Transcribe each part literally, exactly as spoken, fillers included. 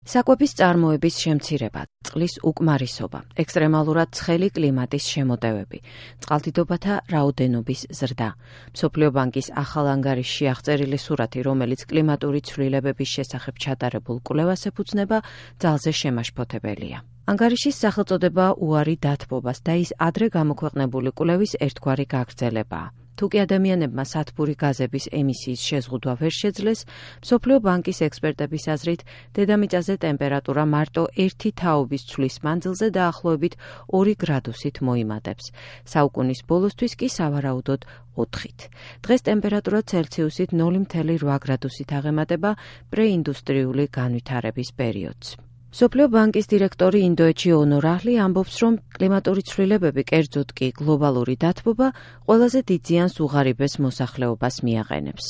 საკვების წარმოების შემცირება, წყლის უკმარისობა, ექსტრემალურად ცხელი კლიმატის შემოტევები, წყალდიდობათა რაოდენობის ზრდა. მსოფლიო ბანკის ახალ ანგარიშში აღწერილი სურათი, რომელიც კლიმატური ცვლილებების შესახებ ჩატარებულ კვლევას ეფუძნება, ძალზე შემაშფოთებელია. ანგარიშის სახელწოდება უარი დათბობას და ის ადრე გამოქვეყნებული კვლევის ერთგვარი გაგრძელებაა. თუკი ადამიანებმა სათბური გაზების ემისიის შეზღუდვა ვერ შეძლეს, მსოფლიო ბანკის ექსპერტების აზრით, დედამიწაზე ტემპერატურა მარტო ერთი თაობის ცვლის მანძილზე დაახლოებით ორი გრადუსით მოიმატებს. საუკუნის ბოლოსთვის კი სავარაუდოდ ოთხით. დღეს ტემპერატურა ცელსიუსით ნული მცდელო რვა გრადუსით აღემატება პრეინდუსტრიული განვითარების პერიოდს. მსოფლიო ბანკის დირექტორი ინდოეთში ონორ აჰლი ამბობს, რომ კლიმატური ცვლილებები, კერძოდ კი გლობალური დათბობა, ყველაზე დიდ ზიანს უღარიბეს მოსახლეობას მიაყენებს.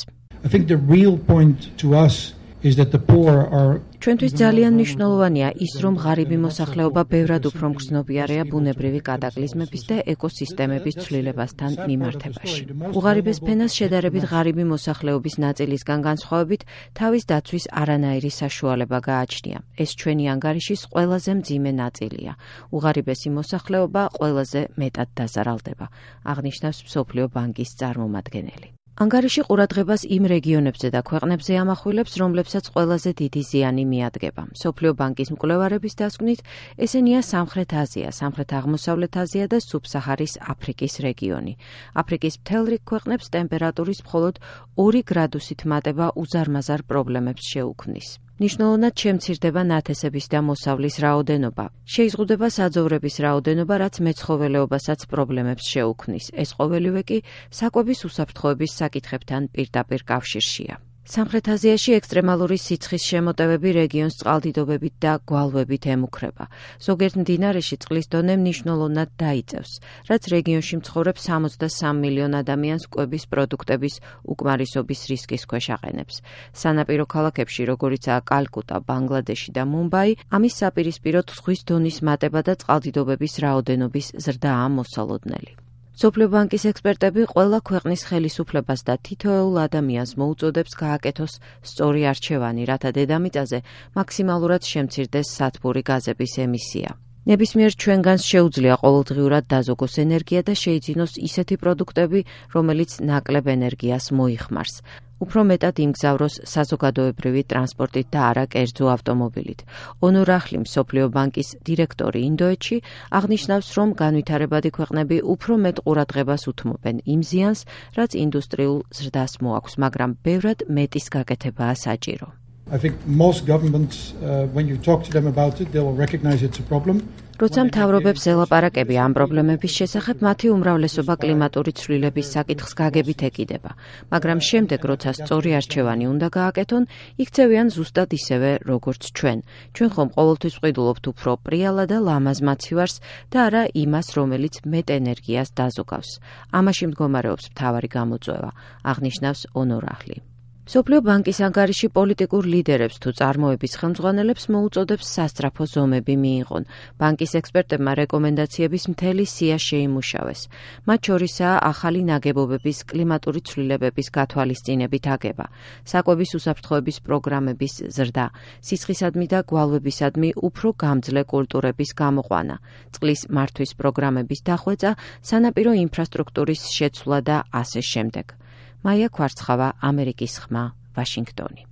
ჩვენთვის ძალიან მნიშვნელოვანია ის, რომ ღარიბი მოსახლეობა ბევრად უფრო მგრძნობიარეა ბუნებრივი კატაკლიზმების და ეკოსისტემების ცვლილებასთან მიმართებაში. უღარიბეს ფენას შედარებით ღარიბი მოსახლეობის ნაწილისგან განსხვავებით თავის დაცვის არანაირი საშუალება გააჩნია. ეს ჩვენი ანგარიშის ყველაზე მძიმე ნაწილია. უღარიბესი მოსახლეობა ყველაზე მეტად დაზარალდება, აღნიშნავს მსოფლიო ბანკის წარმომადგენელი. ანგარიში ყურადღებას იმ რეგიონებზე და ქვეყნებზე ამახვილებს, რომლებსაც ყველაზე დიდი ზიანი მიადგება. მსოფლიო ბანკის მკვლევარების დასკვნით, ესენია სამხრეთ აზია, სამხრეთ-აღმოსავლეთ აზია და სუბსაჰარის აფრიკის რეგიონი. აფრიკის მთელ რიგ ქვეყნებს ტემპერატურის მხოლოდ ორი გრადუსით მატება უზარმაზარ პრობლემებს შეუქმნის. მნიშვნელოვნად შემცირდება ნათესების და მოსავლის რაოდენობა. შეიზღუდება საძოვრების რაოდენობა, რაც მეცხოველეობასაც პრობლემებს შეუქმნის. ეს ყოველივე კი საკვების უსაფრთხოების საკითხებთან პირდაპირ კავშირშია. სამხრეთ აზიაში ექსტრემალური სიცხის შემოტევები რეგიონს წყალდიდობებით და გვალვებით ემუქრება. ზოგიერთ მდინარეში წყლის დონე მნიშვნელოვნად დაიწევს, რაც რეგიონში მცხოვრებ სამოცდასამ მილიონ ადამიანს კვების პროდუქტების უკმარისობის რისკის ქვეშ აყენებს. სანაპირო ქალაქებში, როგორიცაა კალკუტა, ბანგლადეში და მუმბაი, ამის საპირისპიროდ ზღვის დონის მატება და წყალდიდობების რაოდენობის ზრდაა მოსალოდნელი. მსოფლიო ბანკის ექსპერტები ყველა ქვეყნის ხელისუფლებას და თითოეულ ადამიანს მოუწოდებს გააკეთოს სწორი არჩევანი, რათა დედამიწაზე მაქსიმალურად შემცირდეს სათბური გაზების ემისია. ნებისმიერ ჩვენგანს შეუძლია ყოველდღიურად დაზოგოს ენერგია და შეიძინოს ისეთი პროდუქტები, რომელიც ნაკლებ ენერგიას მოიხმარს. უფრო მეტად იმგზავროს საზოგადოებრივი ტრანსპორტით და არა კერძო ავტომობილით. ონორ აჰლი, მსოფლიო ბანკის დირექტორი ინდოეთში, აღნიშნავს, რომ განვითარებადი ქვეყნები უფრო მეტ ყურადღებას უთმობენ იმ ზიანს, რაც ინდუსტრიულ ზრდას მოაქვს, მაგრამ ბევრად მეტის გაკეთებაა საჭირო. როცა მთავრობებს ელაპარაკები ამ პრობლემების შესახებ, მათი უმრავლესობა კლიმატური ცვლილების საკითხს გაგებით ეკიდება, მაგრამ შემდეგ, როცა სწორი არჩევანი უნდა გააკეთონ, იქცევიან ზუსტად ისევე, როგორც ჩვენ. ჩვენ ხომ ყოველთვის ვყიდულობთ უფრო პრიალა და ლამაზ მაცივარს და არა იმას, რომელიც მეტ ენერგიას დაზოგავს. ამაში მდგომარეობს მთავარი გამოწვევა, აღნიშნავს ონორ აჰლი. მსოფლიო ბანკის ანგარიში პოლიტიკურ ლიდერებს თუ წარმოების ხელმძღვანელებს მოუწოდებს სასწრაფო ზომები მიიღონ. ბანკის ექსპერტებმა რეკომენდაციების მთელი სია შეიმუშავეს. მათ შორისაა ახალი ნაგებობების კლიმატური ცვლილებების გათვალისწინებით აგება, საკვების უსაფრთხოების პროგრამების ზრდა, სისხლისადმი და გვალვებისადმი უფრო გამძლე კულტურების გამოყვანა, წყლის მართვის პროგრამების დახვეწა, სანაპირო ინფრასტრუქტურის შეცვლა და ასე შემდეგ. მაია ქვარცხავა, ამერიკის ხმა, ვაშინგტონი.